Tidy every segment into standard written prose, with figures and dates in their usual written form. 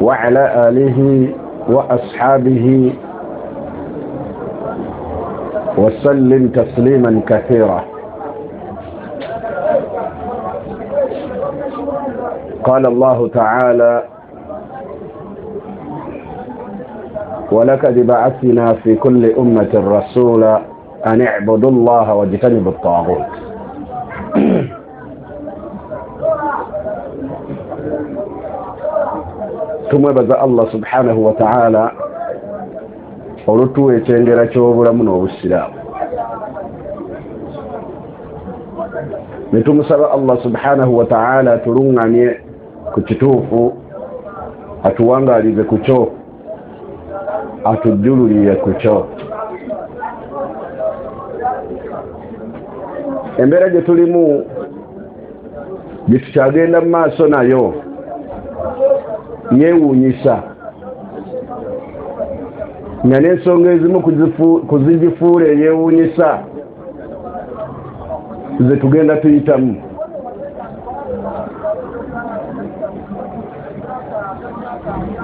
وعلى آله وأصحابه وسلم تسليما كثيرا. قال الله تعالى: ولقد بعثنا في كل أمة رسولا أن اعبدوا الله واجتنبوا الطاغوت. Tumwebaza Allah subhanahu wa ta'ala olutuwa ekyengera ky'obulamu n'obusiraamu, ne tumusaba Allah subhanahu wa ta'ala atuluŋŋamye ku kituufu, atuwangaalize ku kyo, atujjululire ku kyo. Embeera gye tulimu gye tukyagenda mu maaso nayo yeewuunyisa, nga n'ensonga ezimu kuzigifuula eyeewuunyisa ze tugenda tuyitamu.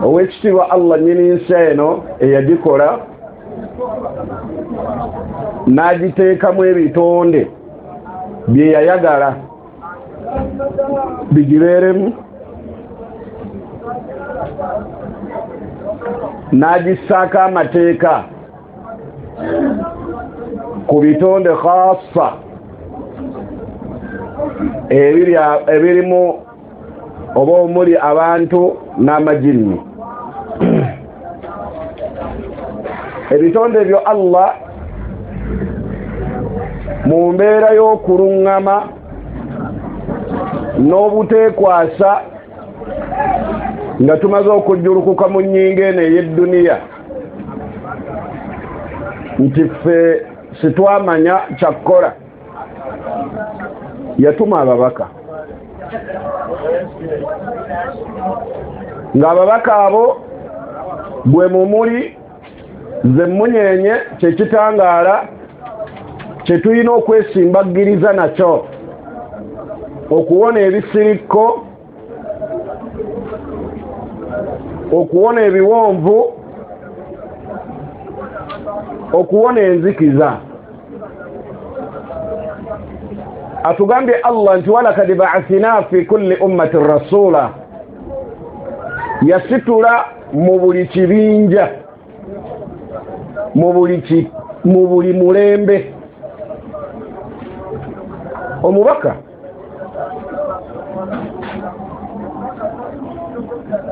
Oweekitiibwa Allah nnyini nsi eno eyagikola n'agiteekamu ebitonde bye yayagala bigibeeremu, n'agissaako amateeka ku bitonde khassa ebirimu oba omuli abantu n'amajinni. Ebitonde ebyo Allah mu mbeera y'okuluŋŋama n'obuteekwasa nga tumaze okujjulukuka mu nnyingo eno ey'edduniya nti ffe sitwamanya kyakkola, yatuma ababaka, ng'ababaka abo gwe mumuli ze mmunyenye kyekitangaala kye tulina okwesimbagiriza nakyo okuwona ebisirikko, okuwona ebiwonvu, okuwona enzikiza. Atugambye Allah nti walakad ba'athna fi kulli ummatin rasula, yasitula mu buli kibinja, mu buli mulembe omubaka.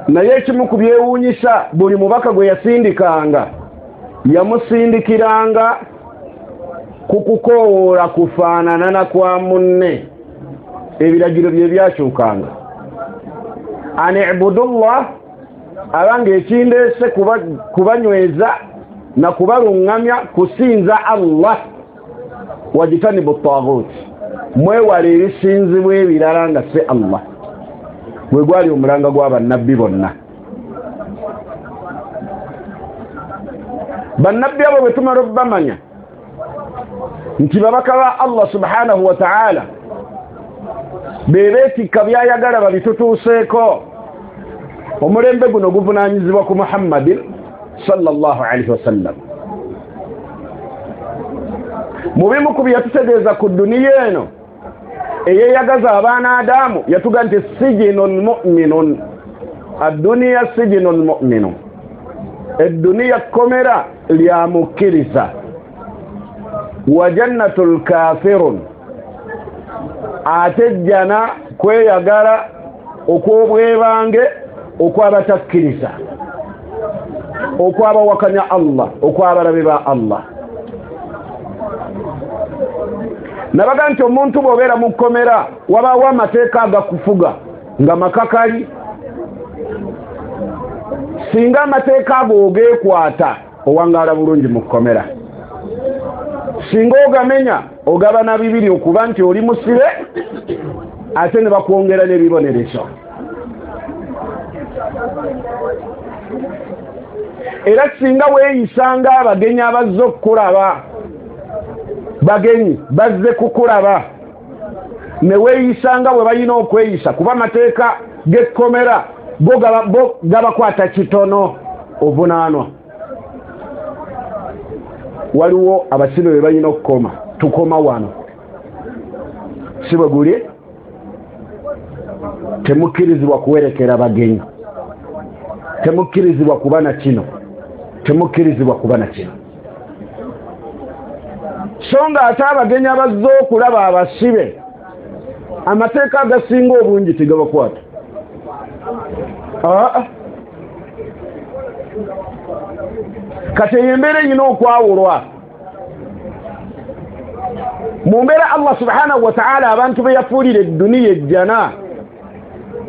Naye ekimu ku byewuunyisa, buli mubaka gwe yasindikanga yamusindikiranga ku kukoowoola kufaanana na kwa munne, ebiragiro bye byakyukanga. An ibudullah, abanga ekindeese kubanyweza na kubaluŋŋamya kusinza Allah, wajitanibu taghut, mwewale ebisinzibwa ebirala nga si Allah. Gwe gwali omulanga gw'abannabbi bonna. Bannabbi abo bwe tumala obbamanya nti babaka ba Allah subhanahu wa ta'ala be beetikka byayagala babitutuuseeko, omulembe guno guvunaanyizibwa ku Muhammadin sallallahu alaihi wasallam. Mu bimu ku bye yatutegeeza ku dduniya eno eyeyagaza abaana Adamu, yatuga nti sijinun mu'minun, adduniya sijinun mu'minun, edduniya kkomera lya mukkiriza, wa jannatul kafirun, ate jjana kweyagala okw'obwebange okw'abatakkiriza, okw'abawakanya Allah, okw'abalabe ba Allah. Nabaga nti omuntu bw'obeera mu kkomera wabaawo amateeka agakufuga nga makakali. Singa amateeka ago ogeekwata owangaala bulungi mu kkomera, singa ogamenya ogabana bibiri, okuba nti oli musibe ate ne bakwongera n'ebibonerezo. Era singa weeyisanga abagenyi abazze okukulaba, bagenyi bazze kukulaba, ne weeyisanga bwe balina okweyisa, kuba amateeka g'ekkomera Bo gabakwata kitono, ovunaanwa. Waliwo abasibe be balina okukoma, tukoma wano, si bwe guli? Temukkirizibwa kuwerekera bagenyi, temukkirizibwa kuba na kino, temukkirizibwa kuba na kino. So nga ate abagenyi abazze okulaba abasibe, amateeka agasinga obungi tegabakwata. Kati eyo embeera erina okwawulwa. Mu mbeera Allah subhanahu wa ta'ala abantu be yafuulira edduniya ejjana,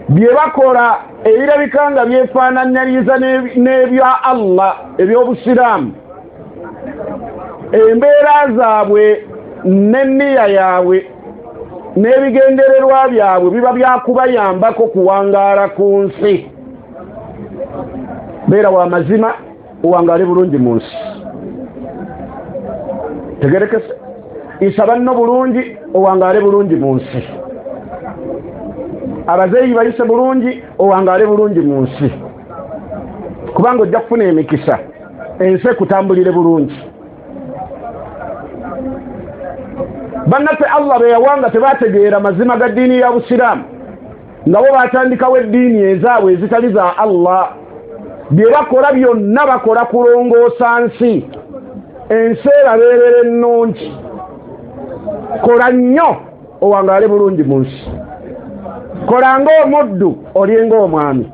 bye bakola ebirabika nga byefaananyiriza n'ebya Allah eby'obusiraamu, embeera zaabwe n'enniya yaabwe n'ebigendererwa byabwe biba byakubayambako kuwangaala ku nsi. Beera wa mazima, owangaale bulungi mu nsi. Tegerekese, isa banno bulungi, owangaale bulungi mu nsi. Abazeeyi bayise bulungi, owangaale bulungi mu nsi, kubanga ojja kufuna emikisa, ensi ekutambulire bulungi. Bannaffe Allah be yawanga tebategeera mazima ga ddiini ya busiraamu, nga bo batandikawo eddiini ezaabwe ezitali za Allah. Bye bakola byonna bakola kulongoosa nsi, ensi erabeerera ennungi. Kola nnyo owangaale bulungi mu nsi, kola ng'omuddu, olye ng'omwami.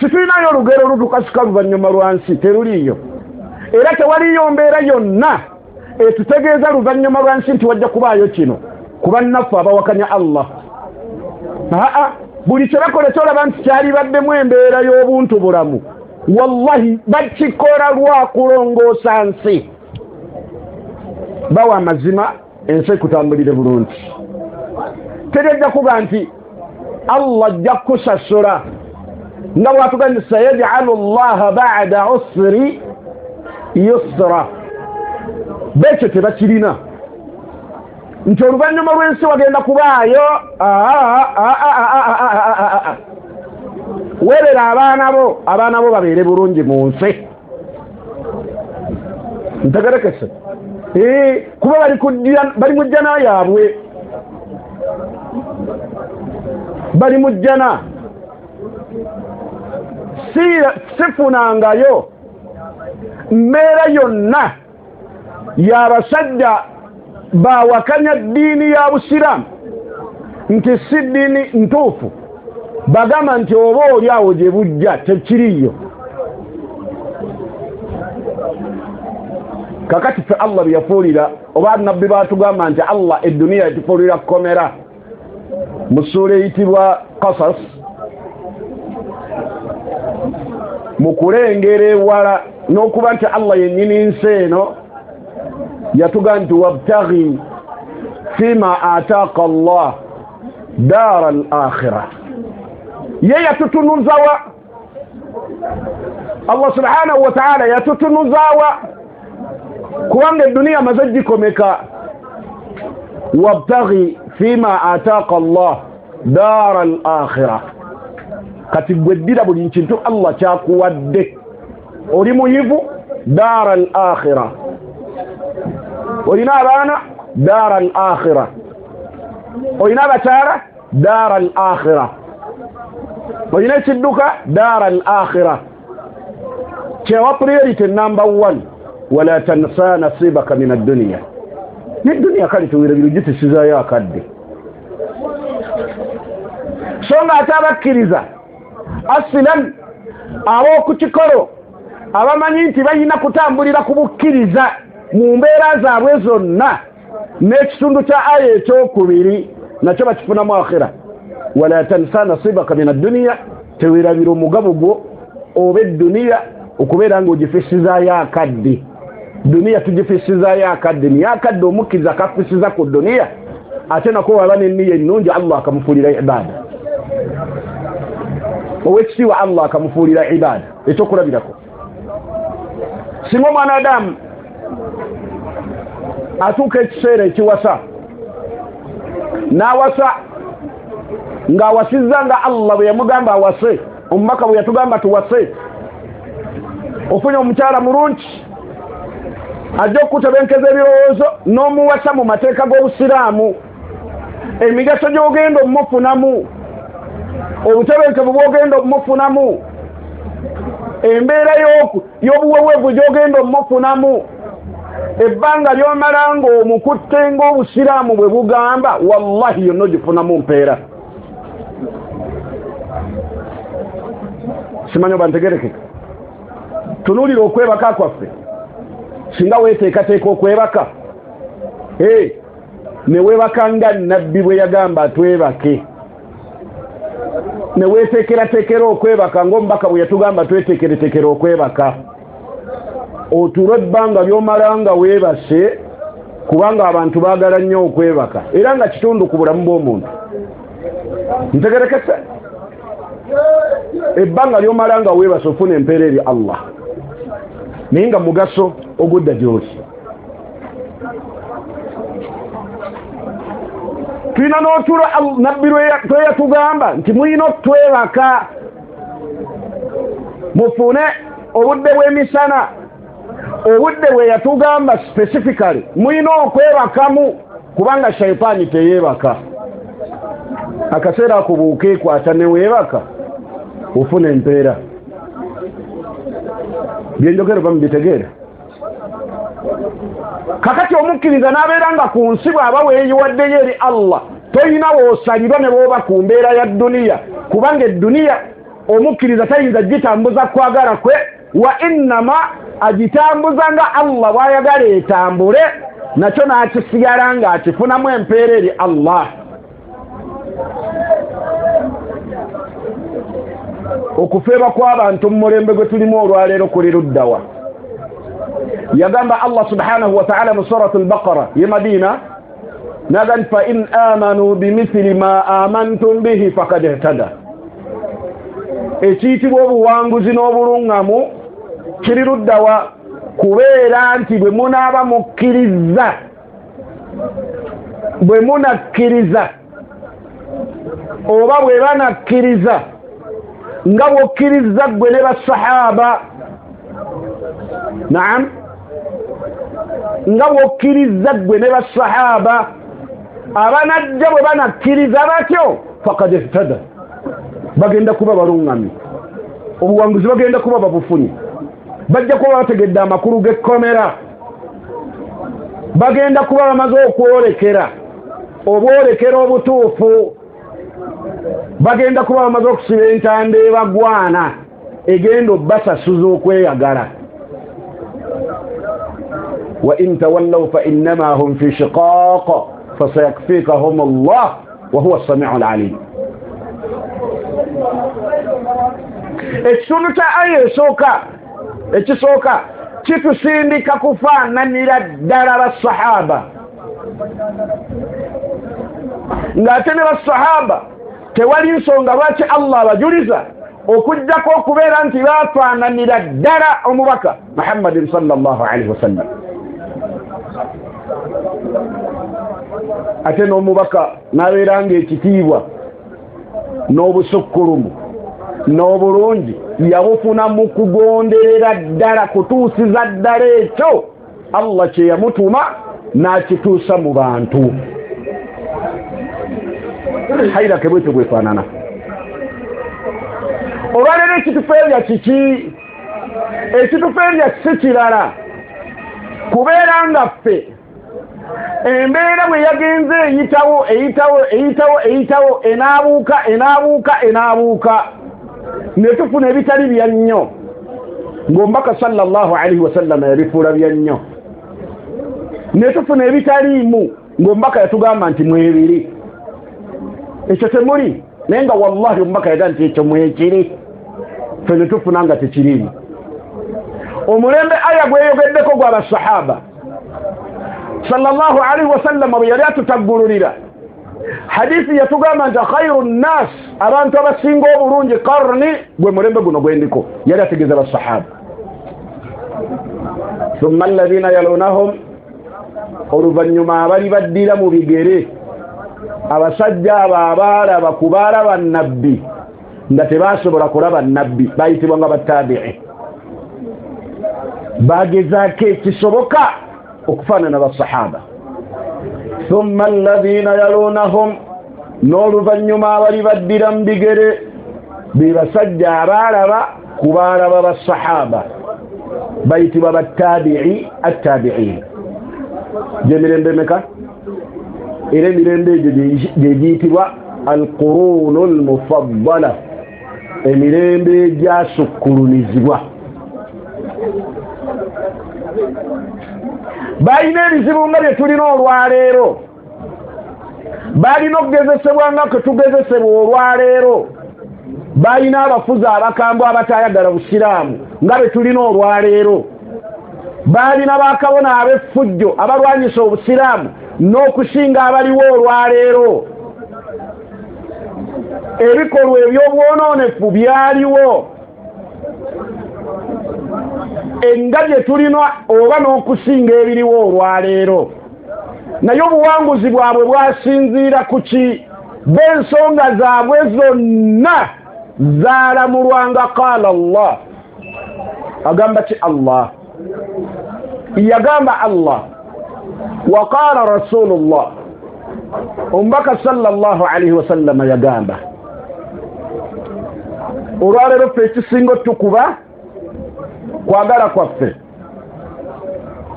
Situlinayo olugero olutukasika luvannyuma lwa nsi, teruliiyo. Era tewaliyo mbeera yonna etutegeeza luvannyuma lwa nsi nti wajja kubaayo kino ku bannaffe abawakanya Allah. Aa, buli kye bakola kyolaba nti kyalibaddemu embeera y'obuntu bulamu, wallahi bakikola lwa kulongoosa nsi. Bawa amazima, ensi ekutambulire bulungi. Terejja kuba nti Allah ajja kukusasula nga bw'atugamba nti sayajalu llaha ba'da usri yusra. Bekyo tebakirina nti oluvannyuma lw'ensi wagenda kubaayo. Weerera abaana bo, abaana bo babeere bulungi mu nsi. Ntegerekese, kuba bali mu jjana yaabwe, bali mu jjana. Sifunangayo mbeera yonna y'abasajja bawakanya ddiini ya busiraamu nti si ddiini ntuufu, bagamba nti oba oli awo gye bujja tekiriiyo. Kakati ffe Allah bye yafuulira, oba nabbi baatugamba nti Allah edduniya yatufuulira kkomera mu ssuula eyitibwa Qasas, mu kulengera ewala n'okuba nti Allah yennyini nsi eno yatugamba nti wabtaghi fima ataaka Allah daara al akhira. Ye yatutunuzawa Allah subhanahu wa ta'ala, yatutunuzawa kubanga edduniya amaze gikomeka. Wabtaghi fima ataaka Allah daara al akhira. Kati gwe ddira buli kintu Allah kyakuwadde. Oli muyivu, daara al akhira. Olina abaana, daara al akhira. Olina abakyala, daara al akhira. Olina ekidduka, daara al akhira. Kyewa priority number 1, wala tansa nasibaka min ad-dunya. N'edduniya kale teweerabira ogitisizaayo akadde. So nga ate abakkiriza asilan ab'okukikolo abamanyi nti balina kutambulira ku bukkiriza mu mbeera zaabwe zonna, n'ekitundu kya aya ekyokubiri nakyo bakifunamu akhira. Wala tansa nasibaka min ad-dunya, teweerabira omugabo gwo oba edduniya okubeera ng'ogifisizaayo akadde. Duniya tugifisizaayo akadde, naye akadde omukkiriza akafisiza ku duniya, ate nako waba n'enniya ennungi Allah akamufuulira ibaada. Owekitiibwa Allah akamufuulira ibaada. Ekyokulabirako, singa omwana Adamu atuuka ekiseera ekiwasa, n'awasa Ng'awasizza nga Allah bwe yamugamba awase, omubaka bwe yatugamba tuwase. Ofunye omukyala mulungi ajja okutebenkeza ebirowoozo n'omuwasa mu mateeka g'obusiraamu, emigaso gy'ogenda omufunamu, obutebenkevu bw'ogenda omufunamu, embeera y'obuweweevu gy'ogenda omufunamu, ebbanga ly'omala ng'omukutte ng'obusiraamu bwe bugamba, wallahi yonna ogifunamu mpeera. Simanyi oba ntegerekeka. Tunuulira okwebaka kwaffe, singa weeteekateeka okwebaka ne weebaka nga nabbi bwe yagamba twebake, ne weeteekerateekera okwebaka ng'omubaka bwe yatugamba tweteekereteekera okwebaka, otulo ebbanga ly'omala nga weebase, kubanga abantu baagala nnyo okwebaka era nga kitundu ku bulamu bw'omuntu. Ntegerekese? Ebbanga ly'omala nga weebase ofuna empeera eri Allah, naye nga mugaso ogudda gy'oli. Tulina n'otulo nabbi lwe yatugamba nti mulina otwebaka mufune obudde bw'emisana, obudde bwe yatugamba specifically mulina okwebakamu, kubanga shaitaani teyeebaka. Akaseera ako bw'okeekwata ne weebaka ofuna empeera. Byenjogero bamubitegeera. Kakati omukkiriza n'abeera nga ku nsi bw'aba weeyiwaddeyo eri Allah, toyina w'osalirwa ne bw'oba ku mbeera ya dduniya, kubanga edduniya omukkiriza tayinza gitambuza kwagala kwe, wa innama agitambuza nga Allah bw'ayagala etambule, nakyo n'akisigala ng'akifunamu empeera eri Allah. Okufeeba kw'abantu mu mulembe gwe tulimu olwaleero kuli luddawa? Yagamba Allah subhanahu wa ta'ala mu Surat al-Baqara ye Madina, naga nti fa in amanu bimithili ma amantum bihi fakad ihtada. Ekiyitibwa obuwanguzi n'obulungamu kiri luddawa? Kubeera nti bwe munaaba mukkiriza, bwe munakkiriza oba bwe banakkiriza nga bw'okkiriza ggwe ne basahaba, naam, nga bw'okkiriza ggwe ne basahaba abanajja bwe banakkiriza batyo, fakad ihtada, bagenda kuba balungamye, obuwanguzi bagenda kuba babufunye, bajja kuba bategedde amakulu g'ekkomera, bagenda kuba bamaze okwolekera obwolekera obutuufu, bagenda kuba bamaze okusiba entanda ebagwana egenda obbasasuza okweyagala. Wa in tawallaw fa innama hum fi shiqaq fasayakfikahum Allah wa huwa as-sami'u al-alim. Ekitundu kya aya esooka ekisooka kitusindika kufaananira ddala basahaba, ng'ate ne basahaba tewali nsonga lwaki Allah abajuliza okujjako okubeera nti bafaananira ddala omubaka Muhammadin sallallahu alaihi wasallam. Ate n'omubaka n'abeera ng'ekitiibwa n'obusukkulumu n'obulungi yabufuna mu kugonderera ddala, kutuusiza ddala ekyo Allah kye yamutuma n'akituusa mu bantu. Hairake bwetyo bwefaanana. Olwaleero ekitufeebya kiki? Ekitufeebya si kirala kubeera nga ffe embeera bwe yagenze eyitawo eyitawo eyitawo eyitawo enaabuuka enaabuuka enaabuuka ne tufuna ebitali bya nnyo ng'omubaka sallallahu alaihi wasallama yabifuula bya nnyo, ne tufuna ebitaliimu ng'omubaka yatugamba nti mwebiri, ekyo temuli, naye nga wallahi omubaka yagamba nti ekyo mwekiri, ffe ne tufuna nga tekiriimu. Omulembe aya gweyogeddeko gwa basahaba sallallahu alaihi wasallam bwe yali atutaggululira hadithi yatugamba nti khairu nnas, abantu abasinga obulungi karni, gwe mulembe guno gwendiko, yali ategeeza basahaba. Thumma alladhina yalunahum, oluvannyuma abali baddira mu bigere Abasajja abo abaalaba ku baalaba nabbi nga tebasobola kulaba nabbi bayitibwa nga batabi'i. Bagezaako ekisoboka okufaanana basahaba. Thumma alladhina yalunahum, n'oluvannyuma abali baddira mu bigere be basajja abaalaba ku baalaba basahaba bayitibwa batabi'i attabi'in. Gyemirembe meka? Era emirembe egyo gye giyitibwa alqurunu almufaddala, emirembe egyasukkulumizibwa. Balina ebizibu nga bye tulina olwaleero, balina okugezesebwa nga kwe tugezesebwa olwaleero, balina abafuzi abakambwe abatayagala busiraamu nga bye tulina olwaleero, balina bakabona ab'effujjo abalwanyisa obusiraamu n'okusinga abaliwo olwaleero. Ebikolwa eby'obwonoonefu byaliwo enga gye tulina oba n'okusinga ebiriwo olwaleero, naye obuwanguzi bwabwe bwasinziira ku ki? B'ensonga zaabwe zonna zaalamulwanga qaala Allah. Agamba ki Allah? Yagamba Allah wa qaala Rasulullah, omubaka sallallahu alaihi wasallama yagamba. Olwaleero ffe ekisinga otukuba kwagala kwaffe,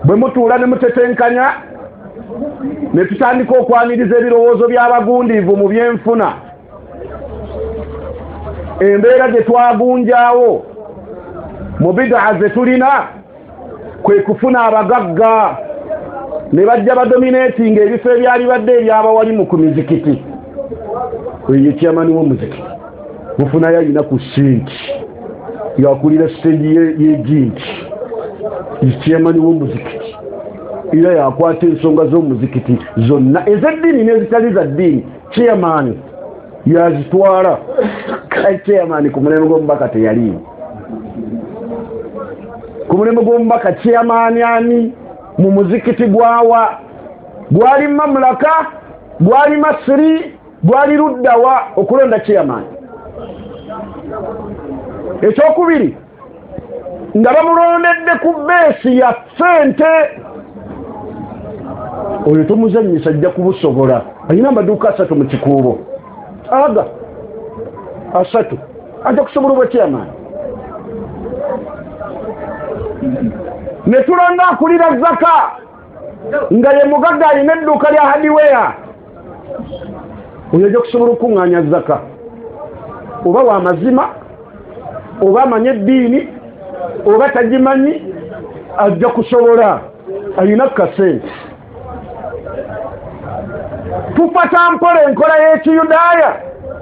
bwe mutuula ne mutetenkanya ne tutandika okwaniriza ebirowoozo by'abagundiivu mu byenfuna, embeera gye twagunjaawo mu bidaa ze tulina kwe kufuna abagagga ne bajja badominatinga ebifo ebyali badde ebyabawalimu ku mizikiti. Oyo chairman w'omuzikiti mufunayo alina ku ssente, yakulira siteegi y'eginti, chairman w'omuzikiti era yakwata ensonga z'omuzikiti zonna ez'eddiini n'ezitali za ddiini, chairman yazitwala. Chairman ku mulembe gw'omubaka teyaliiwo. Ku mulembe gw'omubaka chairman ani mu muzikiti gwawa? Gwali mamulaka, gwali Masiri, gwali luddawa okulonda chairman? Ekyokubiri, nga bamulondedde ku beesi ya ssente, oyo tomuzannyisa ajja kubusobola. Alina amaduuka 3 mu kikuubo, aga 3, ajja kusobola obwa chairman. Ne tulonda akulira zaka nga ye mugagga alina edduuka lya hardware, oyo ajja kusobola okuŋŋaanya zaka, oba wa mazima oba amanye eddiini oba tagimanyi, ajja kusobola, alina kasente. Tufata mpola enkola y'ekiyudaaya,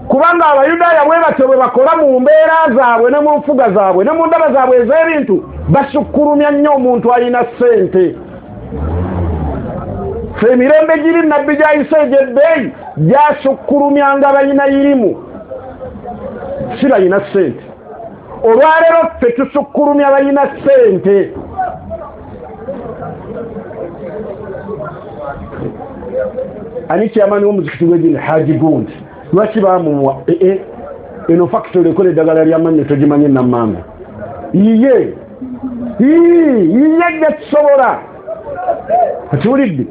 kubanga abayudaaya bwe batyo bwe bakola mu mbeera zaabwe ne mu nfuga zaabwe ne mu ndaba zaabwe ez'ebintu, basukkulumya nnyo omuntu alina ssente. Ffe emirembe giri nabbi gy'ayise egy'ebbeeyi gyasukkulumyanga balina irimu, si balina ssente. Olwaleero ffe tusukkulumya balina ssente. Ani chairman w'omuzikiti gw'eddiini? Haji Gundi. Lwaki bamuwa? Eno factory ekola eddagala ly'amannyo togimanyi Nammamba. Yiye yiye ajja kusobola. Okiwulidde?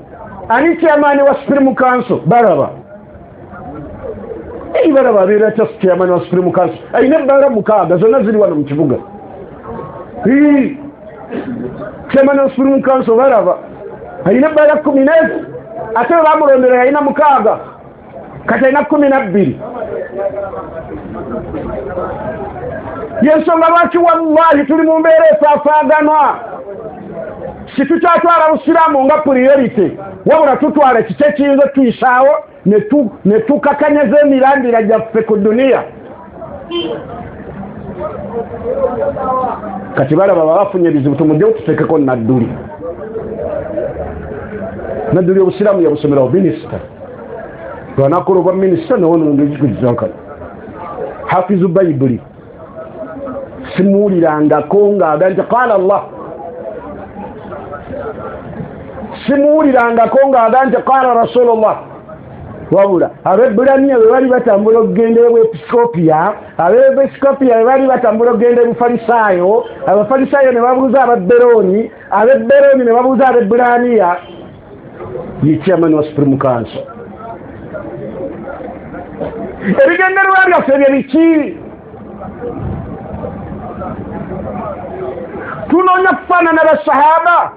Ani chairman wa Supreme Council? Balaba. Balaba abeera atya chairman wa Supreme Council? Alina ebbaala 6 zonna ziri wano mu kibuga. Chairman wa Supreme Council balaba alina ebbaala 14, ate bwe bamulondera yalina 6, kati alina 12. Yensonga lwaki wallahi tuli mu mbeera efaafaaganwa. Si tukyatwala busiraamu nga priority, wabula tutwala kiki ekiyinza otuyisaawo ne tukakanyaza emirandira gyaffe ku duniya. Kati balaba babafunye ebizibu, tumugyewo tuteekeko Nadduli. Nadduli obusiraamu yabusomerawo minisita, lwanakola obwa minisita newonongekikuzankana. Hafizu Bayibuli simuwulirangako ng'aga nti qaala Allah, simuwulirangako ng'aga nti qaala Rasulullah. Wabula Abebbulaniya bwe bali batambula okugenda Ebuepiskopiya, Abeepiskopiya bwe bali batambula okugenda Ebufalisaayo, Abafalisaayo ne babuuza Ababberooni, Abebberooni ne babuuza Abebbulaniya. Ye chairman wa Supreme Council. Ebigendererwa byaffe bye biki? Tunoonya kufaanana basahaba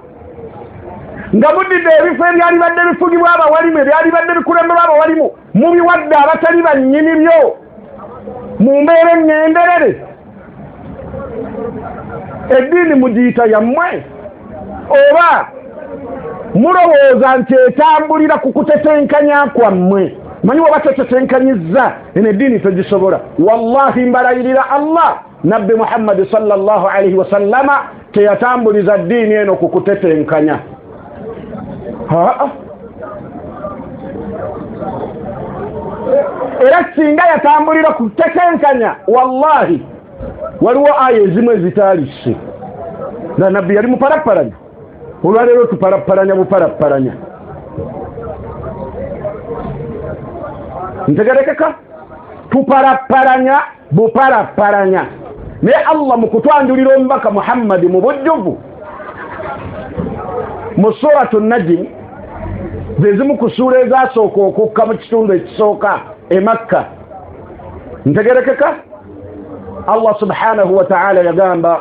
nga mudidde ebifo ebyali badde bifugibwa abawalimu, ebyali badde bikulemberwa abawalimu, mubiwadde abatali bannyini byo mu mbeera eŋŋenderere. Eddiini mugiyita yammwe oba mulowooza nti etambulira ku kutetenkanya kwammwe? Manyi waba tetetenkanyizza eno eddiini togisobola. Wallahi mbalayirira Allah, Nabbi Muhammad sallallahu alaihi wasallama teyatambuliza ddiini eno ku kutetenkanya. Era singa yatambulira ku kutetenkanya, wallahi waliwo aya ezimu ezitaalisse nga Nabbi yali mupalapalanya. Olwaleero tupalapalanya bupalapalanya. Ntegerekeka? Tupalapalanya bupalapalanya. Naye Allah mu kutwanjulira omubaka Muhammadi mu bujjuvu mu suratu Najm, ze zimu ku ssuula ezasooka okukka mu kitundu ekisooka e Makka. Ntegerekeka? Allah subhanahu wa ta'ala yagamba,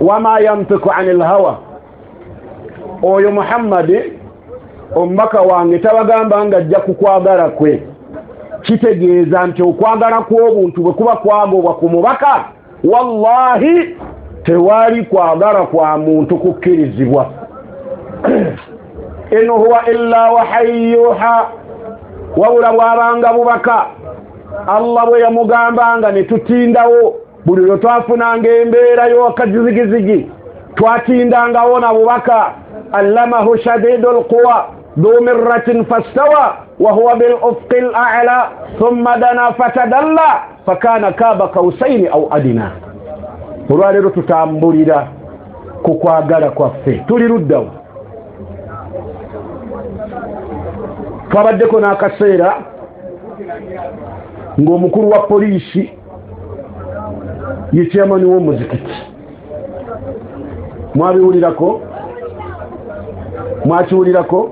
wama yantiku anil hawa, oyo Muhammadi omubaka wange tabagamba nga ajja kukwagala kwe. Kitegeeza nti okwagala kw'obuntu bwe kuba kwagobwa ku mubaka, wallahi tewali kwagala kwa muntu kukkirizibwa. In huwa illa wahayi yuha, wabula bwabanga bubaka Allah bwe yamugambanga ne tutindawo. Buli lwe twafunanga embeera y'akazigizigi twatindangawo na bubaka. Allamahu shadidul quwa dhu mirratin fastawa wa huwa bil ufqil a'la thumma dana fatadalla fakana kaba kausaini au adina. Olwaleero tutambulira ku kwagala kwaffe, tuli luddawo. Twabaddeko n'akaseera ng'omukulu wa poliisi ye chairman w'omuzikiti. Mwabiwulirako? Mwakiwulirako?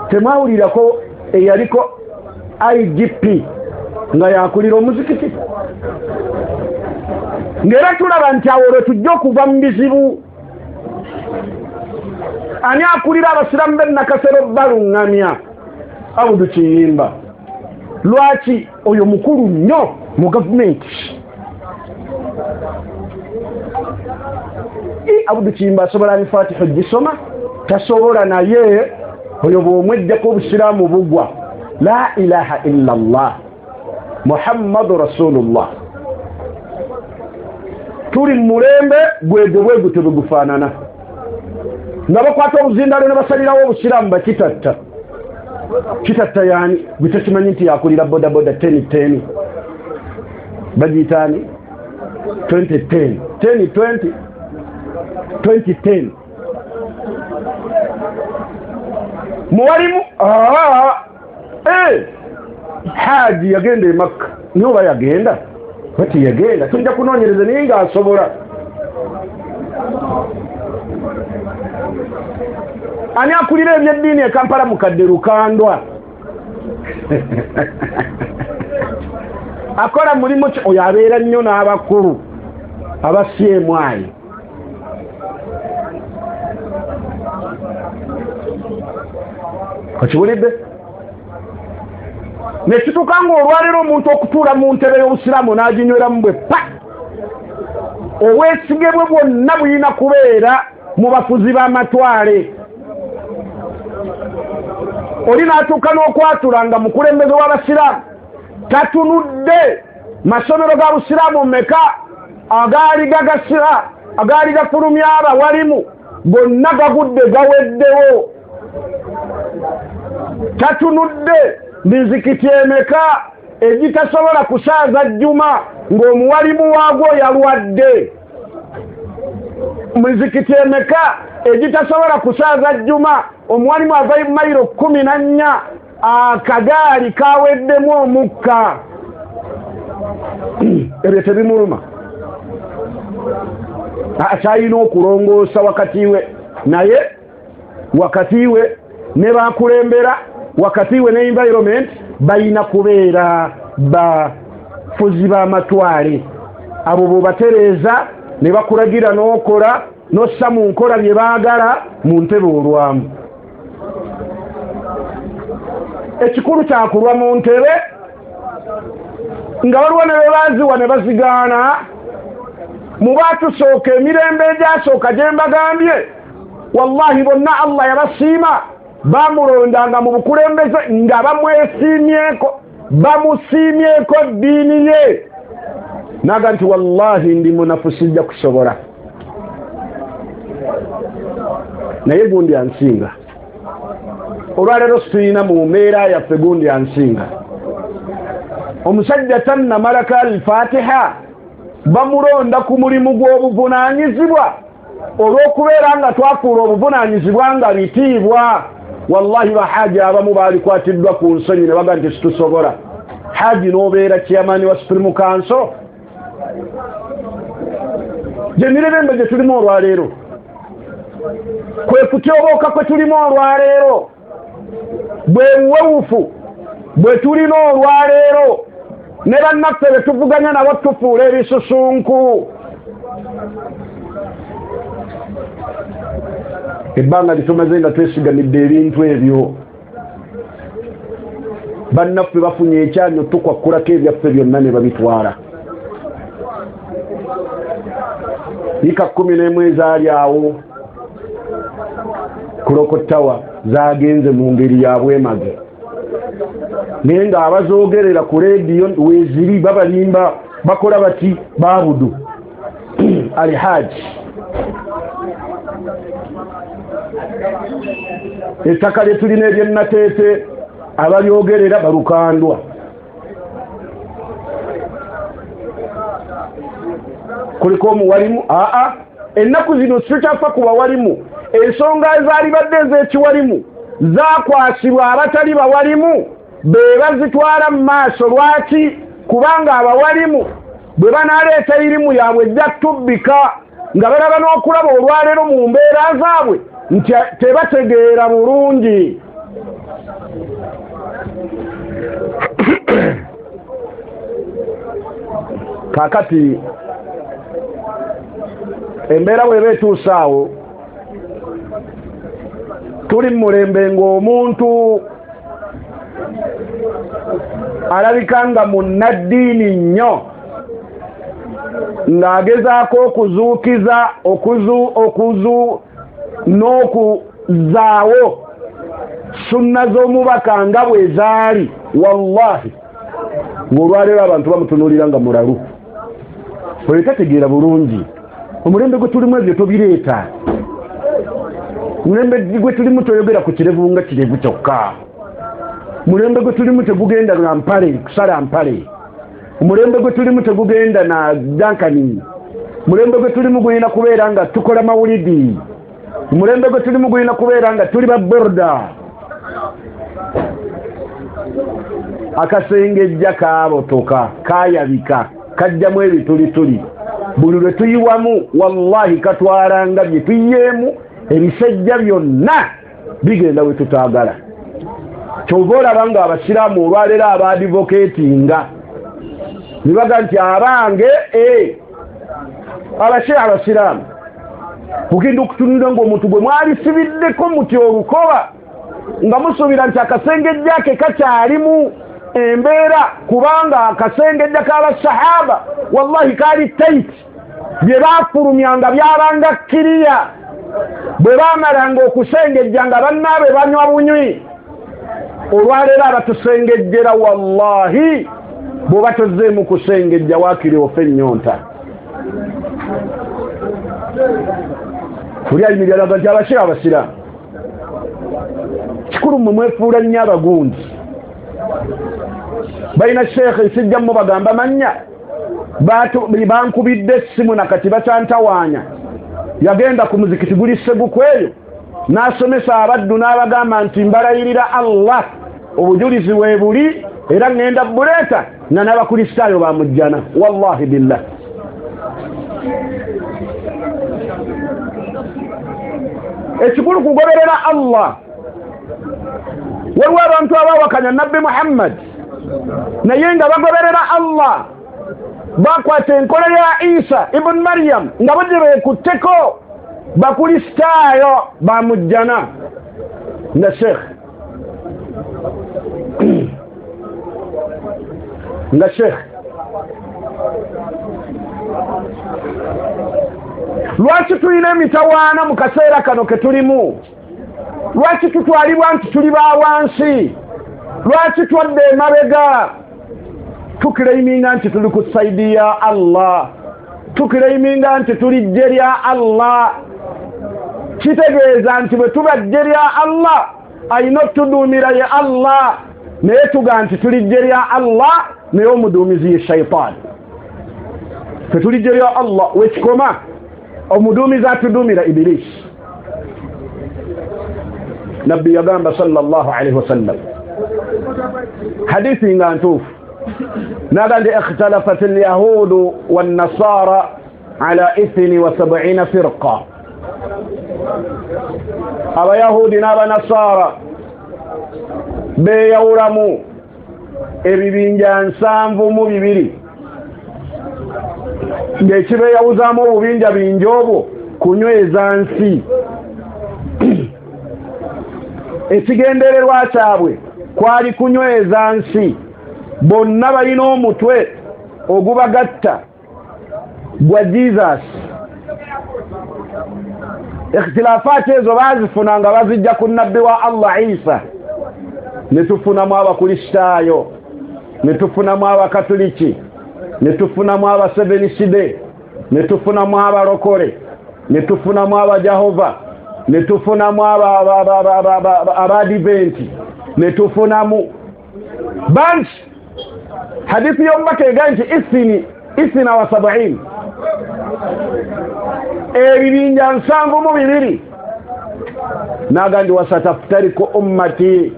Temwawulirako eyaliko IGP nga yakulira omuzikiti? Ng'era tulaba nti awo lwe tujja okuva mu bizibu. Ani akulira abasiraamu b'e Nakasero baluŋŋamya? Abudu Kiyimba. Lwaki oyo mukulu nnyo mu gavumenti? Abudu Kiyimba asobola Alfatiha ogisoma? Tasobola, naye oyo bw'omwejjako obusiraamu bugwa. La ilaha illa Allah Muhammadu Rasulullah. Tuli mu mulembe gwegwo bwegutyo bwe gufaanana, nga bakwata obuzindalo ne basalirawo obusiraamu bakitatta. Kitatta yaani gwe tekimanyi nti yakulira bodaboda 1010 bagiyitaani 2010 1020 2010 muwalimu. Haji yagenda e Makka, niye oba yagenda bati yagenda, tujja kunoonyereza naye ng'asobola. Ani akulira ebyeddiini e Kampala? Mukadde Lukandwa. Akola mulimu ki? Oyo abeera nnyo n'abakulu aba CMI. Okiwulidde? Nekituuka ng'olwaleero omuntu okutuula mu ntebe y'obusiraamu n'aginyweramu bwe pa, obwesige bwe bwonna buyina kubeera mu bafuzi b'amatwale. Oli n'atuuka n'okwatula nga mukulembeze w'abasiraamu tatunudde masomero ga busiraamu meka agaali gagasira, agaali gafulumya abawalimu, gonna gagudde gaweddewo. Tatunudde mizikiti emeka egitasobola kusaaza jjuma ng'omuwalimu waagwo yalwadde. Mizikiti emeka egitasobola kusaaza jjuma, omuwalimu ava mayiro 14, akagaali kaweddemu omukka. Ebyo tebimuluma. Akyalina okulongoosa wakati we naye, wakati we ne bakulembera, wakati we ne environment, balina kubeera bafuzi b'amatwale. Abo bw'obatereeza ne bakulagira n'okola n'ossa mu nkola bye baagala mu ntebe olwamu. Ekikulu kyakulwa mu ntebe nga waliwo ne be baziwa ne bazigaana. Mu baatusooka emirembe egyasooka gye mbagambye, wallahi bonna Allah yabasiima, bamulondanga mu bukulembeze nga bamwesiimyeko, bamusiimyeko ddiini ye. Naga nti wallahi ndi munafu sijja kusobola, naye gundi ansinga. Olwaleero situlina mu mbeera yaffe gundi ansinga. Omusajja tannamalako Alfatiha, bamulonda ku mulimu gw'obuvunaanyizibwa. Olw'okubeera nga twafuula obuvunaanyizibwa nga bitiibwa, wallahi bahaji abamu baalikwatiddwa ku nsonyi ne baga nti situsobola. Haji n'obeera chairman wa Supreme Council. Gye mirembe gye tulimu olwaleero, kwe kutyobooka kwe tulimu olwaleero, bwe buwewufu bwe tulina olwaleero, ne bannaffe be tuvuganya nabo tufuula ebisusunku. Ebbanga litumaze nga twesigamidde ebintu ebyo, bannaffe bafunye ekyanyo tukwakkulako ebyaffe byonna ne babitwala. Yiika 11 ezaali awo kulokottawa zagenze mu ngeri ya bwemage, naye ng'abazoogerera ku leediyo weeziri babalimba, bakola bati babudu Alhaji. Ettaka lye tulina ery'ennateete abalyogerera balukandwa. Kuliko omuwalimu aa ennaku zino situkyafa ku bawalimu. Ensonga ezaalibadde ez'ekiwalimu zaakwasibwa abatali bawalimu be bazitwala mu maaso. Lwaki? Kubanga abawalimu bwe banaaleeta irimu yaabwe ejja tubbika, nga balaba n'okulaba olwaleero mu mbeera zaabwe nti tebategeera bulungi. Kaakati embeera bw'eba etuuse awo, tuli mu mulembe ng'omuntu alabika nga munnaddiini nnyo, ng'agezaako okuzuukiza n'okuzaawo sunna z'omubaka nga bwe zaali. Wallahi ng'olwaleero abantu bamutunuulira nga mulalu, oyo tategeera bulungi. Omulembe gwe tulimu ebyo tobireeta. Mulembe gwe tulimu toyogera ku kirevu nga kirevu kyokka. Mulembe gwe tulimu tegugenda na mpale, kusala mpale. Omulembe gwe tulimu tegugenda na dankani. Mulembe gwe tulimu gulina kubeera nga tukola mawulidi. Omulembe gwe tulimu gulina kubeera nga tuli ba borda. Akasengejja kaabotoka, kaayabika, kajjamu ebitulituli. Buli lwe tuyiwamu wallahi katwalanga bye tuyiyeemu, ebisejja byonna bigenda we tutaagala. Kyova olaba nga abasiraamu olwaleero abaadivokeetinga ne baga nti abange abashia abasiraamu, kugenda okutunulira ng'omuntu gwe mwalisibiddeko muti olukoba nga musuubira nti akasengejja ke kakyalimu embeera, kubanga akasengejja k'abasahaba wallahi kaali tight, bye baafulumyanga byabanga kiriya. Bwe baamalanga okusengejja nga bannaabwe banywa bunywi. Olwaleero abatusengejjera wallahi bw'oba tozzeemu kusengejja waakiri ofe ennyonta. Oli ayimirira alaga nti abashia abasiraamu kikulu mmwe mwefuula nnyo abagundi. Balina sheekhe sijja mubagamba mannya, bankubidde essimu nakati bakyantawaanya. Yagenda ku muzikiti guli Ssegukweyo n'asomesa abaddu n'abagamba nti mbalayirira Allah, obujulizi weebuli era ŋŋenda buleeta nga n'abakristaayo bamujjana. Wallahi billah. Ekikulu kugoberera Allah. Waliwo abantu abawakanya Nabbi Muhammad naye nga bagoberera Allah, bakwata enkola ya Isa ibn Maryam nga bo gye beekutteko, bakristaayo bamujjana. Nga sheikh nga sheikh lwaki tulina emitawaana mu kaseera kano ke tulimu? Lwaki tutwalibwa nti tuli ba wansi? Lwaki twadde emabega? Tukireiminga nti tuli ku saidi ya Allah, tukireiminga nti tuli ggye lya Allah. Kitegeeza nti bwe tuba ggye lya Allah ayina otuduumira ye Allah, naye tuga nti tuli ggye lya Allah naye omuduumizi ye shaitaani. Ffe tuli ggye lya Allah wekikoma, omuduumizi atuduumira Ibilisi. Nabbi yagamba sallallahu alaihi wasallam, hadithi nga ntuufu, naga nti ikhtalafat alyahudu wannasara ala 72 firqa. Abayahudi n'abanasara beeyawulamu ebibinja 72, ng'ekibeeyawuzaamu obubinja bingi obwo kunyweza nsi. Ekigendererwa kyabwe kwali kunyweza nsi. Bonna balina omutwe ogubagatta gwa Jesus. Ikhtilafaati ezo baazifuna nga bazijja ku nabbi wa Allah Isa. Ne tufunamu abakristaayo, ne tufunamu abakatuliki, ne tufunamu abaseveniside, ne tufunamu abalokole, ne tufunamu abajehova, ne tufunamu abadiventi, ne tufunamu bangi. Hadithi y'omubaka egamba nti 72, ebibinja 72. Naga ndi wasataftariku ummati,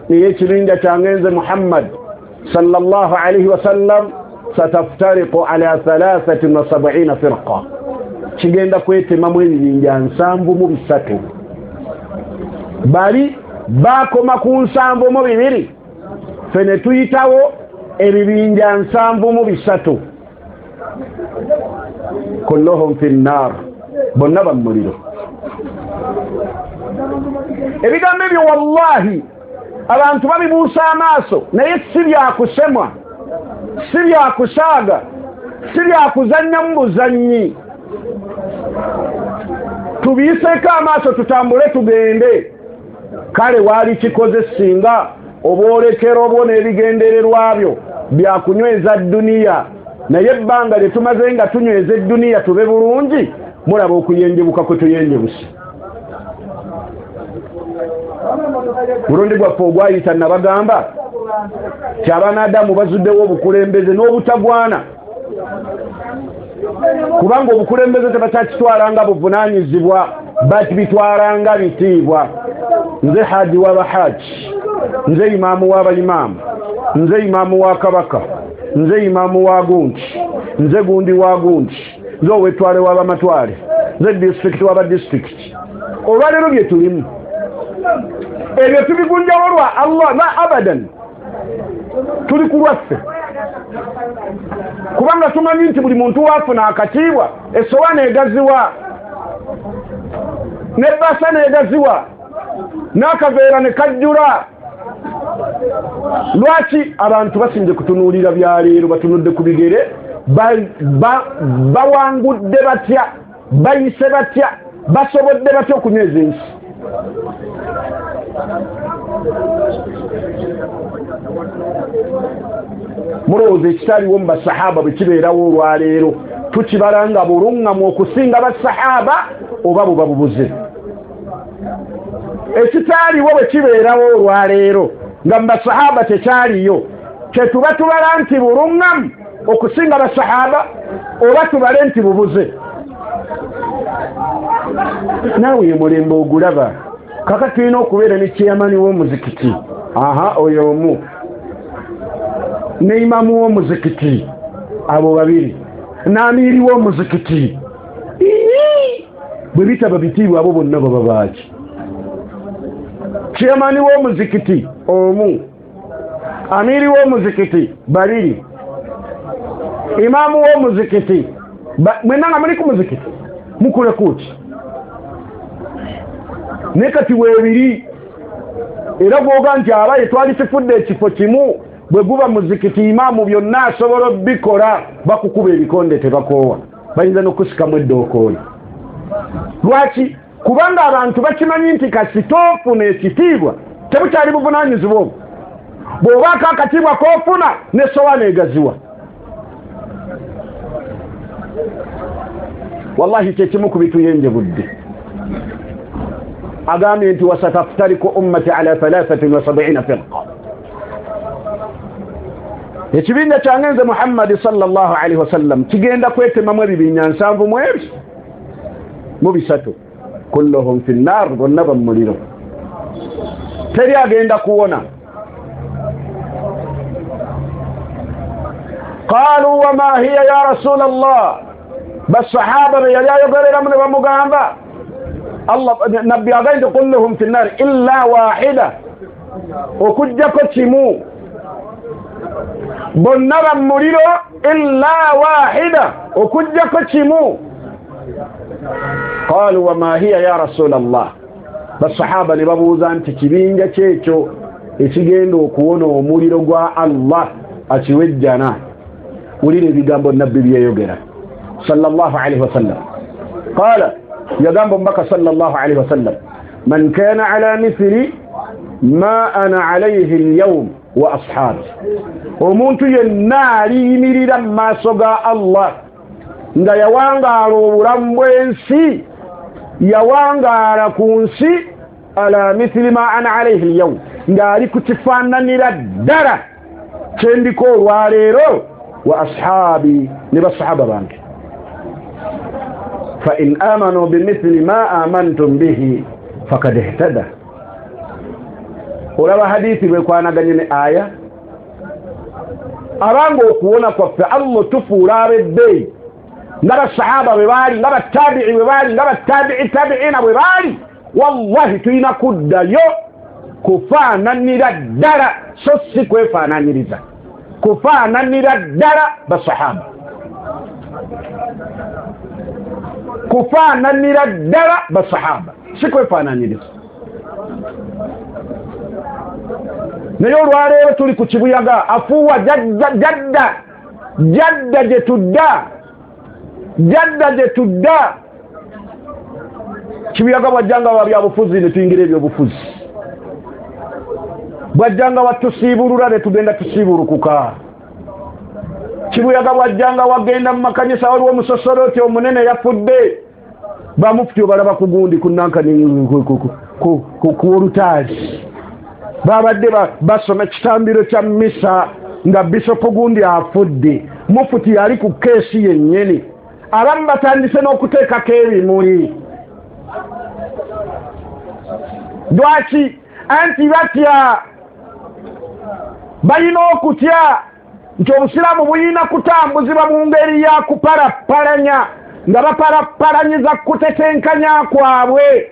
niye ekibinja kyange nze Muhammad sallallahu alaihi wasallam, sataftariku ala 73 firqa, kigenda kwetemamu ebibinja 73. Bali bakoma ku 72, ffe ne tuyitawo ebibinja 73. Kulluhum fi nnar, bonna bamuliro. Ebigambo ebyo wallahi abantu babibuusa amaaso, naye si byakusemwa, si byakusaaga, si byakuzannyamu buzannyi. Tubiiseeko amaaso tutambule tugende. Kale waali kikoze singa obwolekero bwo n'ebigendererwa byo byakunyweza dduniya, naye ebbanga lye tumaze nga tunyweza edduniya tube bulungi, mulaba okuyenjebuka kwe tuyenjebuse. Mulundi gwaffe ogwayita nabagamba ti abaana bazuddewo obukulembeze n'obutagwana, kubanga obukulembeze tebakyakitwalanga buvunaanyizibwa, bakibitwalanga bitiibwa. Nze haji w'abahaji, nze imaamu w'abayimaamu, nze imaamu wa kabaka, nze imaamu wa gundi, nze gundi wa gundi, nze ow'ettwale w'abamatwale, nze disitulikiti w'abadisitulikiti. Olwaleero bye tulimu ebyo tubigunjawo lwa Allah la abadan, tuli ku lwaffe, kubanga tumanyi nti buli muntu waafuna akatiibwa, essowaani egaziwa, n'ebbaasa n'egaziwa, n'akaveera ne kajjula. Lwaki abantu basinze kutunuulira byaleero? Batunudde ku bigere, bawangudde batya, bayise batya, basobodde batya okunyweza ensi? Mulowooza ekitaliwo mu basahaba bwe kibeerawo olwaleero tukibala nga buluŋŋamu okusinga basahaba oba buba bubuze? Ekitaliwo bwe kibeerawo olwaleero nga mu basahaba tekyaliyo, kyetuba tubala nti buluŋŋamu okusinga basahaba oba tubale nti bubuze? Naawe omulembe ogulaba. Kaka tulina okubeera ne chairman w'omuzikiti. Aha, oyo omu. Ne imaamu w'omuzikiti. Abo babiri. N'amiiri w'omuzikiti. Bwe bitaba bitiibwa abo bonna baba baaki? Chairman w'omuzikiti omu. Amiiri w'omuzikiti babiri. Imaamu w'omuzikiti. Mwenna nga muli ku muzikiti. Mukule kuki? Naye kati weebiri era gwoga nti abaye twali tifudde ekifo kimu bwe guba muzikiti imaamu byonna asobola obikola bakukuba ebikonde tebakoowa bayinza n'okusikamu eddookooli. Lwaki? Kubanga abantu bakimanyi nti kasita ofuna ekitiibwa tebukyali buvunaanyizibwa obwo. Bw'obaako akatiibwa k'ofuna n'essowaani egaziwa. Wallahi kyekimu ku bituyenjebudde. Agambye nti wasataftariku ummati ala 73 firqa. Ekibinja kyange nze Muhammadi sallallahu alaihi wasallam kigenda kwetemamu ebibinja 73 kulluhum fi nnar, bonna ba muliro, teri agenda kuwona. Qalu wama hiya ya rasul Allah, basahaba be yali ayogereramu ne bamugamba Allah nabbi agenda kulluhum fi nnar illa wahida, okujjako kimu, bonna ba muliro illa wahida, okujjako kimu. Qalu wama hiya ya rasul Allah, basahaba ne babuuza nti kibinja kyekyo ekigenda okuwona omuliro gwa Allah akiwejjana. Wulira ebigambo nabbi byeyogera sallallahu alaihi wasallam. Qala, yagamba omubaka sallallahu alaihi wasallam, man kana ala mithli ma ana alayhi alyawm wa ashabi, omuntu yenna aliyimirira mu maaso ga Allah nga yawangaala obulamu bw'ensi, yawangaala ku nsi ala mithli ma ana alayhi alyawm, ng'ali ku kifaananira ddala kyendiko olwaleero, wa ashabi, ne basahaba bange. Fa in amanu bimithli ma amantum bihi fakad ihtada. Olaba hadithi bwekwanaganye ne aya, abanga okuwona kwaffe Allah tufuula ab'ebbeeyi nga basahaba bwe baali, nga batabi'i bwe baali, nga batabi'i tabi'ina bwe baali. Wallahi tulina kuddayo kufaananira ddala, so si kwefaananiriza, kufaananira ddala basahaba, kufaananira ddala basahaba, si kwefaananiriza. Naye olwaleero tuli ku kibuyaga afuuwa jadda jadda gye tudda, jadda gye tudda. Kibuyaga bwajjanga wa byabufuzi ne tuyingira ebyobufuzi, bwajjanga watusiibulula ne tugenda tusiibulukuka. Kibuyaga bwajjanga wagenda mu makanisa, waliwo omusosoloti omunene yafudde, bamufuti obalaba ku gundi ku nankani ku olutaali, babadde basoma ekitambiro kya misa nga bisopu gundi afudde, mufuti yali ku keesi yennyini. Abamu batandise n'okuteekako ebimuli. Lwaki? Anti batya, balina okutya nti obusiraamu bulina kutambuzibwa mu ngeri ya kuparapparanya, nga baparapparanyiza kutetenkanya kwabwe.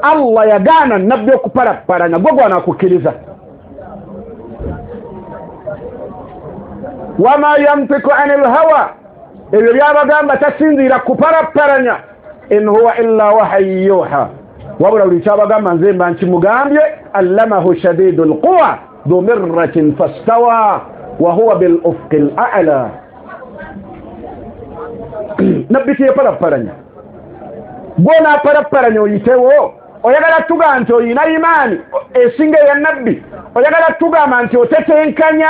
Allah yagaana nabbi okuparapparanya, gwe gwanakukkiriza. Wama yantiku anil hawa, ebyo byabagamba tasinziira kuparapparanya. In huwa illa wahayi yuha, wabula buli kyabagamba nze mba nkimugambye. Allamahu shadidul quwa dhu mirratin fastawa wa huwa bil ufqil a'la. Nabbi teyeparapparanya, gw'onaaparapparanya oyitewo. Oyagala tugamba nti oyina imaani esinga eya nabbi, oyagala tugamba nti otetenkanya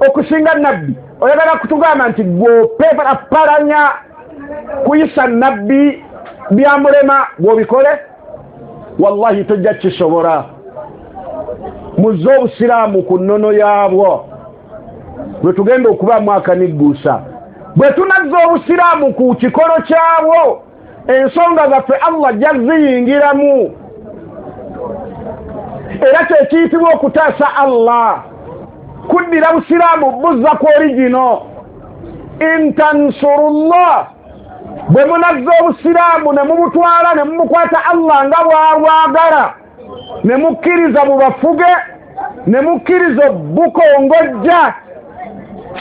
okusinga nabbi, oyagala kutugamba nti gw'oparapparanya kuyisa nabbi byamulema gw'obikole. Wallahi tojja kisobola. Muzze obusiraamu ku nnono yaabwo bwe tugenda okubaamu akanigguusa. Bwe tunazza obusiraamu ku kikolo kyabwo Ensonga zaffe Allah jaziyingiramu. Era kyekiyitibwa okutaasa Allah, kuddira busiraamu buzza ku origino. Intansurullah, bwe munazza obusiraamu ne mubutwala ne mumukwata Allah nga bw'abwagala, ne mukkiriza bubafuge, ne mukkiriza bukongojja,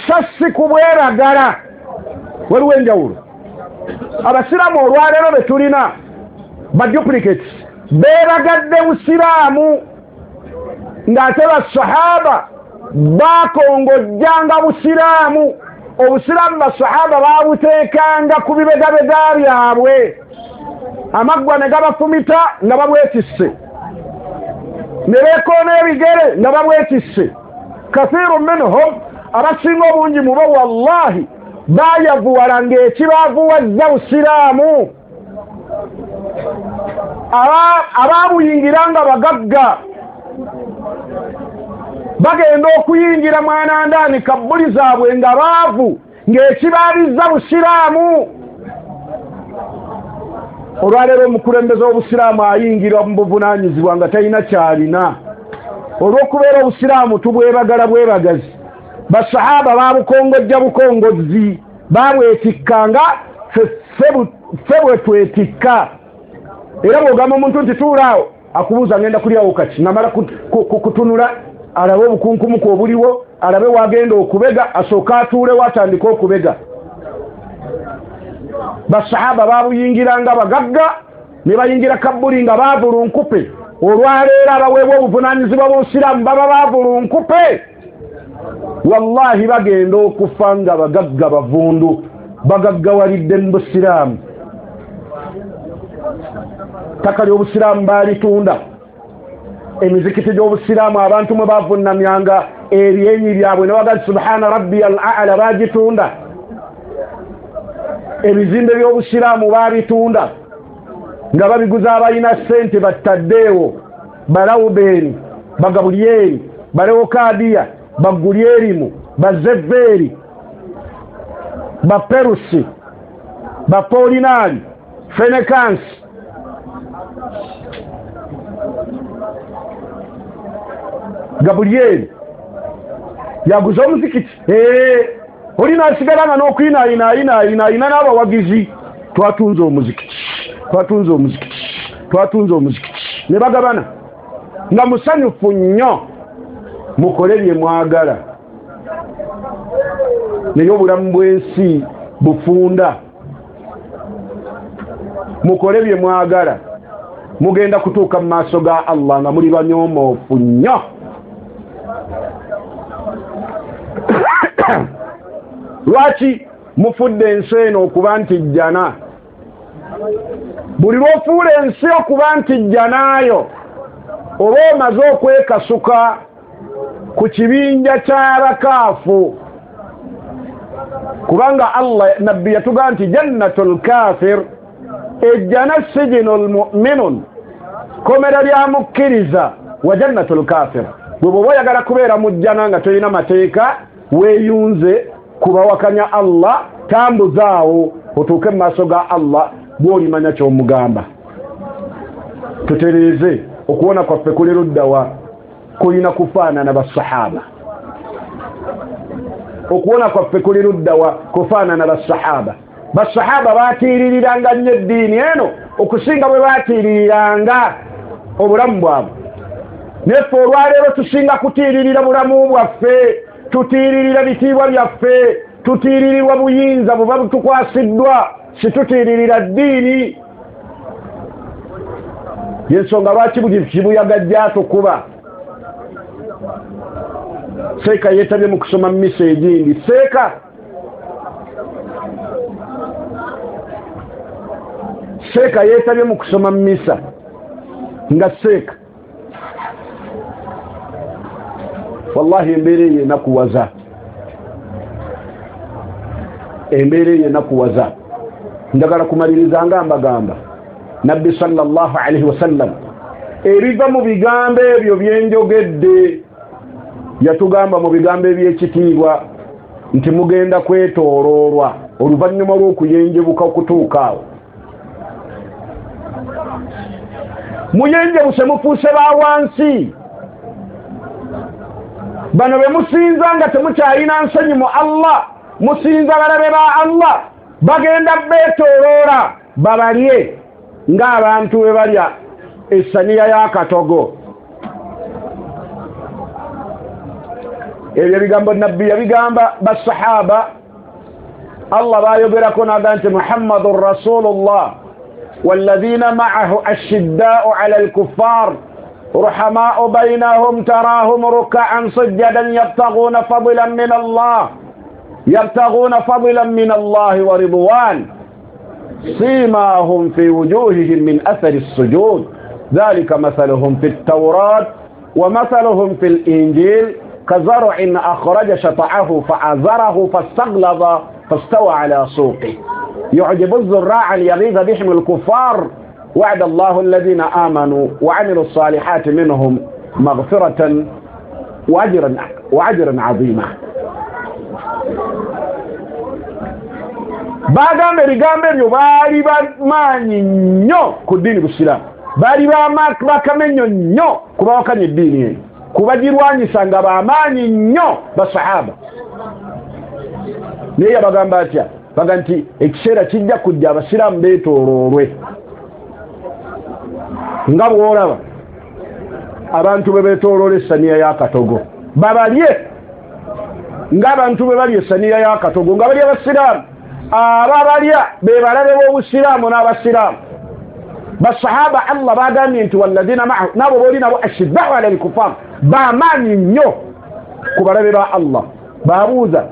sassi kubweragala. Waliwo enjawulo. Abasiraamu olwaleero be tulina ba duplicates, beeragadde busiraamu ng'ate basahaba bakongojjanga busiraamu. Obusiraamu basahaba babuteekanga ku bibegabega byabwe, amaggwa ne gabafumita nga babwetisse, ne beekoona ebigere nga babwetisse. Kathiru minhum, abasinga obungi mubo wallahi bayavuwala ng'ekibaavuwazza busiraamu. Abaabuyingira nga bagagga bagenda okuyingira mwanandaani kabbuli zaabwe nga baavu ng'ekibaabizza busiraamu. Olwaleero omukulembeze w'obusiraamu ayingira mu buvunaanyizibwa nga talina kyalina. Olw'okubeera obusiraamu tubwebagala bwebagazi, basahaba baabukongojja bukongozzi, baabwetikkanga ffe bwe twetikka. Era bw'ogamba omuntu nti tuulaawo, akubuuza ngenda kulyawo kaki, namala kutunula alabe obukunkumuku obuliwo, alabe wagenda okubega, asooke atuulewo atandike okubega. Basahaba baabuyingiranga bagagga ne bayingira kabbuli nga baavulunkupe. Olwaleero abaweebwa obuvunaanyizibwa bw'obusiraamu baba baavulunkupe. Wallahi bagenda okufa nga bagagga bavundu, bagaggawalidde mu busiraamu. Ttaka ly'obusiraamu baalitunda, emizikiti gy'obusiraamu abantu mwe bavunnamyanga ebyenyi byabwe ne bagamba subhana rabbi al-a'la baagitunda, ebizimbe by'obusiraamu baabitunda nga babiguza abalina ssente battaddeewo, balawubeeni, bagabulyeri, balewokadiya, bagulyerimu, bazeveeri, baperusi, bapolinaali, fenekansi. Gabulyeri yaguza omuzikiti, olina asigala nga n'okuyinaayinaayinaayinaayina n'abawagizi, twatunze omuzikiti, twatunze omuzikiti, twatunze omuzikiti, ne bagabana nga musanyufu nnyo. Mukole bye mwagala, naye obulamu bw'ensi bufunda. Mukole bye mwagala, mugenda kutuuka mu maaso ga Allah nga muli banyoomoofu nnyo. Lwaki mufudde ensi eno okuba nti jjana? Buli lw'ofuula ensi okuba nti jjanaayo, oba omaze okwekasuka ku kibinja ky'abakaafu. Kubanga Allah nabbi yatugamba nti jannatul kafir, ejjana sijinul mu'minun, komera lya mukkiriza, wa jannatul kafir. Bwe bw'oba oyagala kubeera mu jjana nga tolina mateeka, weeyunze kubawakanya Allah, tambuzaawo otuuke mu maaso ga Allah bw'olimanya ky'omugamba. Tutereeze okuwona kwaffe kuli luddawa? Kulina kufaanana basahaba. Okuwona kwaffe kuli luddawa? Kufaanana basahaba. Basahaba baatiiririranga nnyo eddiini eno okusinga bwe baatiiririranga obulamu bwabwe. Neffe olwaleero tusinga kutiiririra bulamu bwaffe, tutiiririra bitiibwa byaffe, tutiiririrwa buyinza buba butukwasiddwa, situtiiririra ddiini. Yensonga lwaki buli kibuyaga gyatukuba. Seeka yeetabye mu kusoma mmisa egindi. Seeka yeetabye mu kusoma mmisa nga seeka. Wallahi embeera eyo enakuwaza, embeera eyo enakuwaza. Njagala kumaliriza nga mbagamba Nabbi sallallahu alaihi wasallam ebiva mu bigambo ebyo byenjogedde, yatugamba mu bigambo eby'ekitiibwa nti mugenda kwetooloolwa oluvannyuma lw'okuyenjebuka okutuuka awo. Muyenjebuse, mufuuse ba wansi. Bano be musinza nga temukyalina nsonyi mu Allah, musinza balabe ba Allah, bagenda beetooloola babalye ng'abantu bwe balya essaniya y'akatogo. Ebyo ebigambo Nabbi yabigamba basahaba, Allah bayogerako n'agamba nti Muhammadun Rasulullah walladhina ma'ahu ashidda'u 'ala al-kuffar ruhama'u baynahum tarahum ruk'an sujjadan yabtaghuna fadlan min Allah yabtaghuna fadlan min Allah wa ridwan simahum fi wujuhihim min athari as-sujud dhalika mathaluhum fi at-tawrat wa mathaluhum fi al-injil كزرع أخرج شطعه فأزره فاستغلظ فاستوى على سوقه يعجب الزراع ليغيظ بهم الكفار وعد الله الذين آمنوا وعملوا الصالحات منهم مغفرة وأجرا عظيما. Bagamba ebigambo ebyo baali bamaanyi nnyo ku ddiini busiraamu, baali bakamenyo nnyo kubawakanya eddiini eno, kubagirwanyisa nga bamaanyi nnyo basahaba. Naye yabagamba atya? Baga nti ekiseera kijja kujja abasiraamu beetooloolwe nga bw'olaba abantu bwe beetooloola essaniya y'akatogo, babalye ng'abantu bwe balya essaniya y'akatogo, nga balya abasiraamu. Ababalya be balabe b'obusiraamu n'abasiraamu. Basahaba Allah bagambye nti walladhina ma'ahu, nabo booli nabo ashidda'u 'ala al-kuffar, bamaanyi nnyo ku balabe ba Allah. Babuuza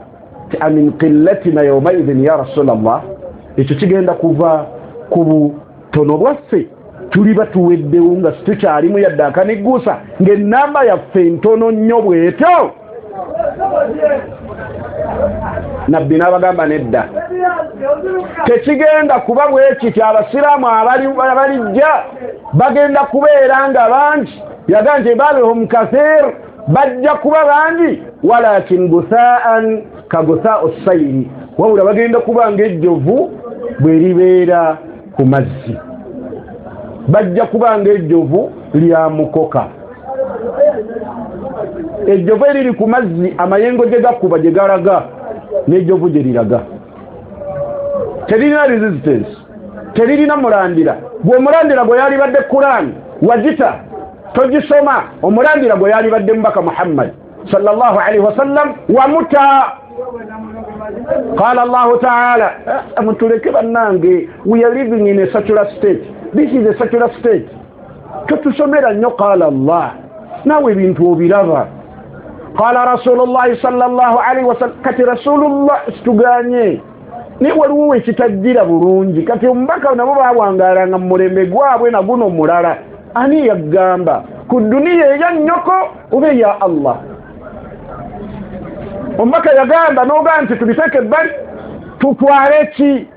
ti amin qillatina yawmaidhin ya Rasulallah, ekyo kigenda kuva ku butono bwaffe, tuliba tuweddewo nga situkyalimu yadde akanigguusa, ng'ennamba yaffe ntono nnyo bw'etyo. Nabbi n'abagamba nedda, tekigenda kuba bwekityo, abasiraamu abalijja bagenda kubeera nga bangi. Yagamba nti balhum kathir, bajja kuba bangi, walakin guthaan ka guthaau sayri, wabula bagenda kuba ng'ejjovu bwe libeera ku mazzi, bajja kuba ng'ejjovu lya mukoka. Ejjovu eriri ku mazzi amayengo gye gakuba gye galaga n'ejjovu gye liraga, teririna resistance, teririna mulandira. Gwe omulandira gwe yalibadde Kuraani wagita togisoma, omulandira gwe yalibadde Mubaka Muhammad sallallahu alaihi wasallam wamuta. Qala Allahu ta'ala, mutuleke bannange, we are living in a secular state, this is a secular state. Totusomera nnyo qala Allah, naawe ebintu obiraba. Qala Rasulullahi sallallahu alaihi wasallam, kati Rasulullah situganye naye waliwo ekitajjira bulungi. Kati omubaka nabo bawangalanga mu mulembe gwabwe na guno mulala. Ani yagamba ku duniya eya nnyoko oba eya Allah? Omubaka yagamba n'ogamba nti tubiteeke ebbali tutwale ki?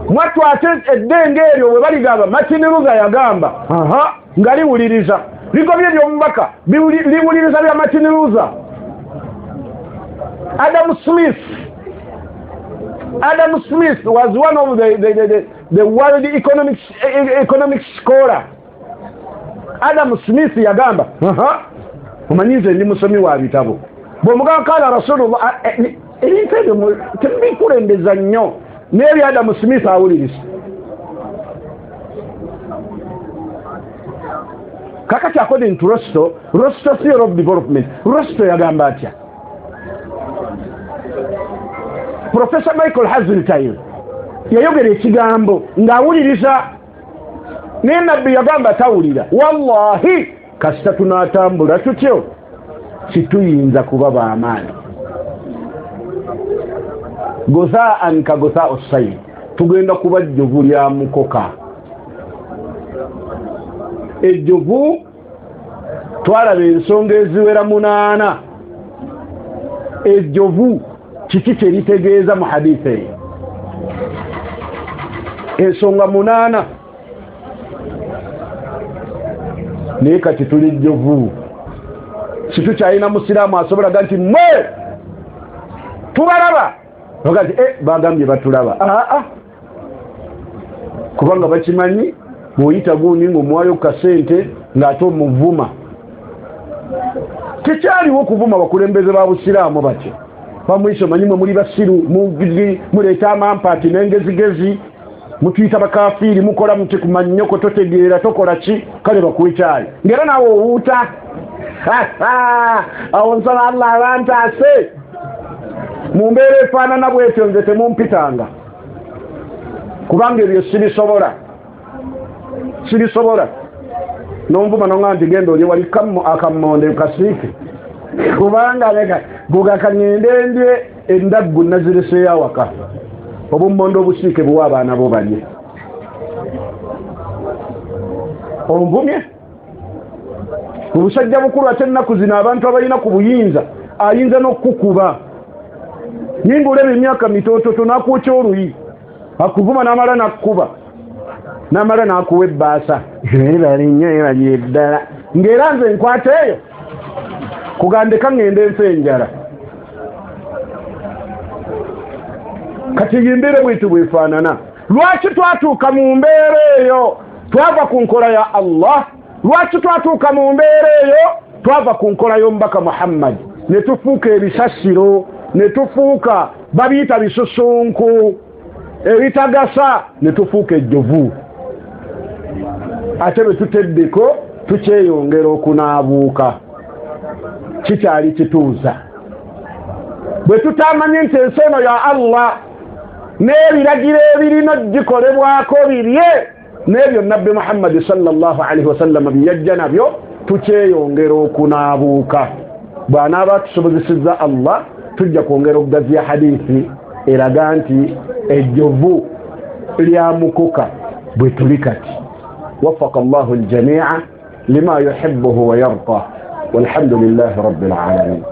Mwattu ate eddenge eryo bwe baligamba Martin Luther yagamba aha, nga liwuliriza ligobye eby'omubaka, liwuliriza bya Martin Luther. Adam Smith was one of the world economic scholar. Adam Smith yagamba aha, omanyi nze ndi musomi wa bitabo, bw'omugamba kala Rasulullah, ebintu ebyo tebikulembeza nnyo, n'ebyo Adam Smith awuliriza. Kakati according to Rostow theory of development, Rostow yagamba atya? Professor Michael Hazeltine yayogera ekigambo ng'awuliriza, naye Nabbi yagamba tawulira. Wallahi kasita tunaatambula tutyo situyinza kuba b'amaanyi. Guthaan ka guthaau sayyi, tugenda kuba jjovu lya mukoka. Ejjovu twalaba ensonga eziwera 8. Ejjovu kiki kye litegeeza mu hadithi eyo? Ensonga 8. Naye kati tuli jjovu, situkyalina musiraamu asobola ga nti mmwe tubalaba, baga nti bagambye batulaba. Aa, kubanga bakimanyi Bw'oyita gundi ng'omuwayo kasente ng'ate omuvuma. Tekyaliwo okuvuma bakulembeze ba busiraamu batyo. Bamuyise omanyi mwe muli basiru, muleeta amampaati n'engezigezi, mutuyita bakafiiri, mukola muti ku mannyoko, totegeera, tokola ki, kale bakuwe kyayi. Ng'era naawe owuuta. Awo nsaba Allah abantaase. Mu mbeera efaanana bwetyo nze temumpitanga, kubanga ebyo sibisobola. Sibisobola. N'onvuma n'oŋŋamba nti genda olye wali akammonde kasiike, kubanga leka gugaka ŋŋende ndye endaggu nazireseeyo awaka, obummonde obusiike buwa abaana bo balye. Onvumye obusajja bukulu. Ate ennaku zino abantu abalina ku buyinza ayinza n'okukuba, naye ng'olaba emyaka mitototo n'akwokya oluyi, akuvuma n'amala n'akkuba, n'amala n'akuwa ebbaasa ebali nnyo ebali eddala, ng'era nze nkwata eyo kugandeka ŋŋende nfe enjala. Kati embeera bwetyo bwefaanana. Lwaki twatuuka mu mbeera eyo? Twava ku nkola ya Allah. Lwaki twatuuka mu mbeera eyo? Twava ku nkola y'omubaka Muhammad, ne tufuuka ebisasiro, ne tufuuka babiyita bisusunku ebitagasa, ne tufuuka ejjovu. Ate bwe tuteddeko tukyeyongera okunaabuuka, kikyali kituuza. Bwe tutamanye nti ensi eno ya Allah n'ebiragiro ebirina gikolebwako birye n'ebyo Nabbi Muhammadi sallallahu alaihi wasallam byeyajja nabyo, tukyeyongera okunaabuuka. Bw'anaaba atusobozesezza Allah, tujja kwongera okugaziya hadithi eraga nti ejjovu lya mukoka bwe tuli kati. Waffaka Allahu aljamia lima yuhibbuhu wa yarda, walhamdulillahi rabbil alamin.